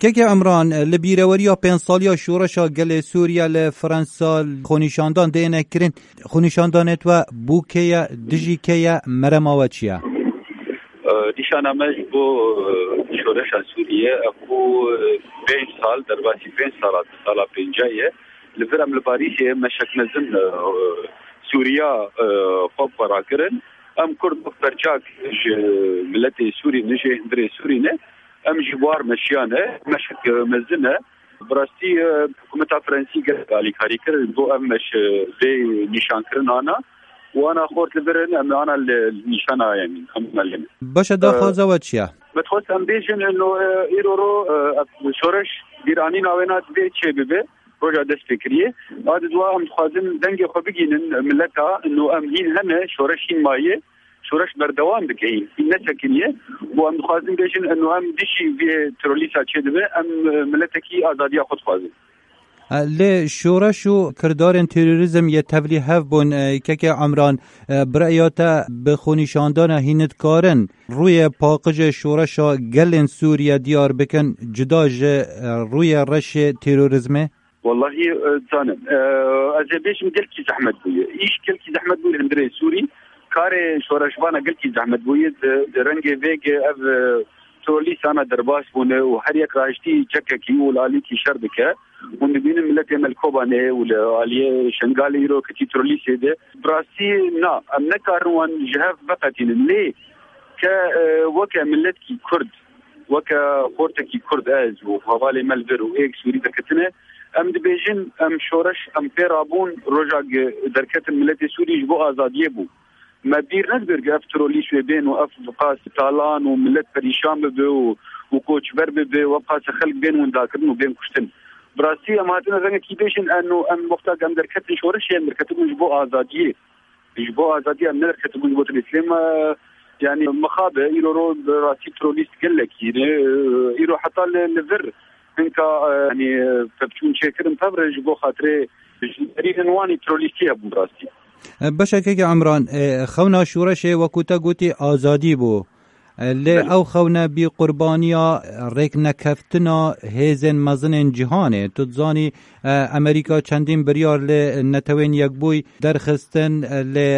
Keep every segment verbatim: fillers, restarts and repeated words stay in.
Keke Emran, li bîreweriya pênc saliya şoreşa gelê Sûriye li Fransa xwenîşandan dêne kirin. Xwenîşandanê we bû kê ye, dijî kê ye, merema we çi ye? E, nîşana me ji bo, e, şoreşa Sûriye, e, ku, e, pênc sal, derbasî pênc sala, di sala pênca ye. Li vir em li Parîsê meşek mezin, e, Sûriya, e, xwe xwe rakirin. Em Kurd wek perçak ji miletê Sûrî ne, ji hundirê Sûrî ne. Em ji war meşiyane, meşek, e, mezin e. Bi rastî, e, hikûmeta Frensî gelek alîkarî kir, ji bo ev meş, e, vê nîşankirina ana û ana xort li vir in, em ana li nîşana, yanî, em ana lê ne. Baş e, daxwaza we çi ye? Me dixwest em bêjin, ino, e, îro ro, e, ev şoreş bîranîna wê na divê çê bibe, roja dest pê kiriye. A di dua em dixwazin dengê xwe bigînin mileta, ino em hîn hene, şoreş hîn maye. Şoreş berdewam dike, hîn nesekiniye û em dixwazin bêjin, eno em dijî vê terorîsa çêdibe, em, e, miletekî azadiya xwe dixwazin. E, lê şoreş û kirdarên terorîzm yê tevlî hev bûn, e, keke Emran, e, bi rêya te bi xwenîşandana hîn dikarin rûyê paqijê şoreşa gelên Sûriye diyar bikin, cuda ji, e, rûyê reşê terorîzmê? Wellahî, e, zanim. E, ez ê bêjim gelkî zehmet bûye. Îş gelkî zehmet bûye hundirê Sûrî. Karê şoreşvana gelkî zehmet bûye. Di, di rengê vêge ev, e, trolîsana derbas bûne û her yek rahiştî çekekî û li alîkî şer dike. Hûn dibînin miletê me li Kobanê û li aliyê Şengalê îro kitî trolîsê de. Bi rastî na, em nekarin wan ji hev veqetînin. Lê ke, e, weke miletkî Kurd, weke xortekî Kurd ez û hevalê me li vir û êk Sûrî derketine, em dibêjin, em şoreş, em pê rabûn, roja ge-, derketin miletê Sûrî ji bo azadiyê bû. Me bîr nedibir ku ev terorîst wê bên û ev qas talan û milet perîşan bibe û, û koçber bibe û ev qas xelk bên windakirin û bên kuştin. Bi rastî em hatine rengekî bêjin, em, em wexta ku em derketin şoreşê, em derketibûn ji bo azadiyê. Ji bo azadî em nederketibûn ji bo tirî. Lê me, yanî, mixabe, îro ro bi rastî terorîst gelekî ne. Îro heta li, li vir hinka, e, yanî, pevçûn çêkirin pevre ji bo xatirê ji derînin wanî terorîstî hebûn rastî. E, beşekeke Emran, e, xewna şoreşê wekû te gotî azadî bû. Lê Belê. Ew xewne bî qurbaniya rêknekeftina hêzên mezinên cîhanê. Tu dizanî, e, Amerîka çendîn biryar li Netewên Yekbûyî derxistin, e, lê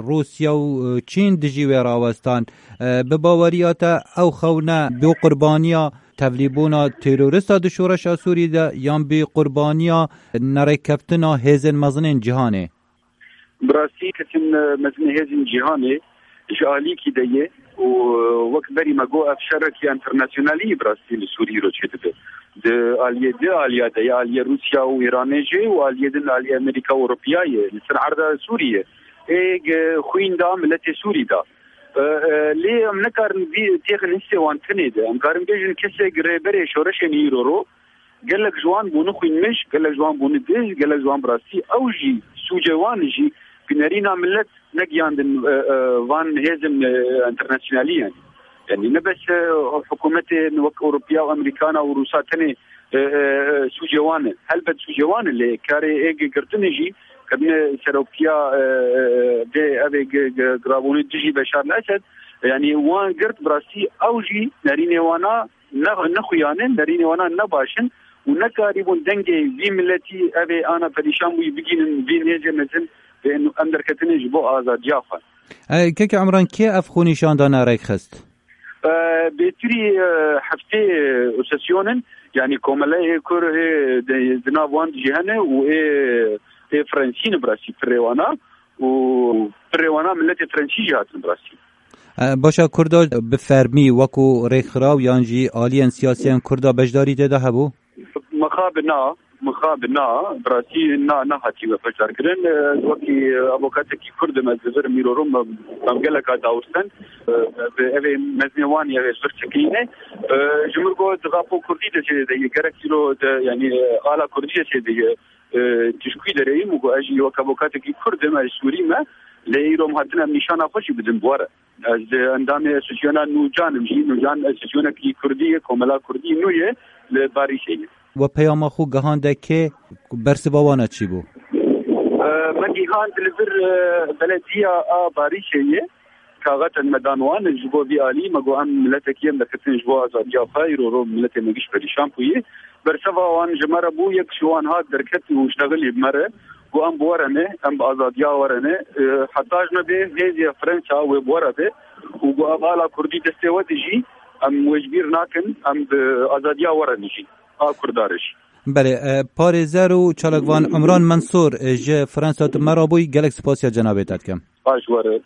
Rûsya û, e, Çîn dijî wê rawestan. E, bi baweriya te ew xewne bî qurbaniya tevlîbûna terorista di şoreşa Sûrî de yan bî qurbaniya nerêkkeftina hêzên mezinên cîhanê? Bi rastî ketin, e, mezinê hêzên cîhanê ji alîkî de ye û, e, wek berî me got, ev şerekî enternasyonalî bi rastî li Sûrî îro çêdibe. Di aliyê di aliya de ye, aliyê Rûsya û Îranê jî û aliyê din aliyê Amerîka û Ewropiya ye. Li ser erda Sûrî ye. Ê, e, xwîn da miletê Sûrî da. E, e, lê em nikarin vî têxin hissê wan tenê de. Em karin bêjin kesek rêberê şoreşên îro ro, gelek ji wan bûne xwînmij, gelek ji wan bûne dij, gelek ji wan bi rastî ew jî sûcê wan jî ku nerîna milet negiyandin, e, e, van hêzên, e, enternasyonalî yani. Yani ne bes, e, hikûmetên wek Ewropiya û Amerîkana û Rûsa tenê, e, e, e, sûcê wan e. Helbet sûcê wan e lê karê ê gi-, girtinê jî kirine seroktiya, e, e, vê evê gi-, gi-, girabûnê dijî Beşar el-Esed. Yani wan girt bi rastî ew jî nerînê wana ne, nexuyanin, nerînê wana ne baş in û nekarîbûn dengê vî miletî, ev ê ana perîşan bûyî, bigînin vî hêzê mezin, ê em derketine ji bo azadiya xwe. E, keke Emran, kê ev xwenîşandana rêk xist? E, bêtirî, e, heftê, e, sesyon in, yanî komeleyê kur hê di, di nav wan jî hene û ê, ê Frensî ne bi rastî pirê wana û pirê wana miletê Frensî jî hatin bi rastî. E, başa Kurda bi fermî wekû rêkxiraw yan jî aliyên siyasiyên Kurda beşdarî tê de hebû? Mixabin na, mixabin na, bi rastî na, nehatiye beşdarkirin. E, wekî avokatekî Kurd im, ez li vir mîrorom, em, em geleka dawirsen. E, bi evê mezinê wan ye, ev ê li vir çekîne. E, ji min got, di rapo Kurdî de çê de ye, gerek îro de, yanî, e, ala Kurdî de çê de ye. E, tişkî dereyî min got, ez jî wek avokatekî Kurd im, ez Sûrî me. Lê îro em hatine em nîşana xwe jî bidin bi we re. Ez, e, endamê Asosiyona Nûcan im jî. Nûcan asosiyonekî Kurdî ye, komela Kurdî nû ye, li Parîsê ye. We peyama xwe gihande kê, bersiva wana çi bû? E, me gihand li vir, e, belediya a Parîsê ye. taxetên me dan wan, ji bo vî alî me got em miletekî em derketin ji bo azadiya xwe, îro ro miletê me giş perîşan bûye. Berseva wan ji me re bû, yek ji wan hat derket û ştexilî bi me re, got em bi we re ne, em bi azadiya we re ne. E, heta ji me bê hêzê Fransa wê bi we re be û got ev ala Kurdî destê we dijî, em wê ji bîr nakin, em bi azadiya we re dijî. A Kurda re jî. Belê, e, parêzer û çalakvan Umran Mensur, e, ji Fransa tu me re bûyî, gelek spasiya cenabê te dikim. Baş were,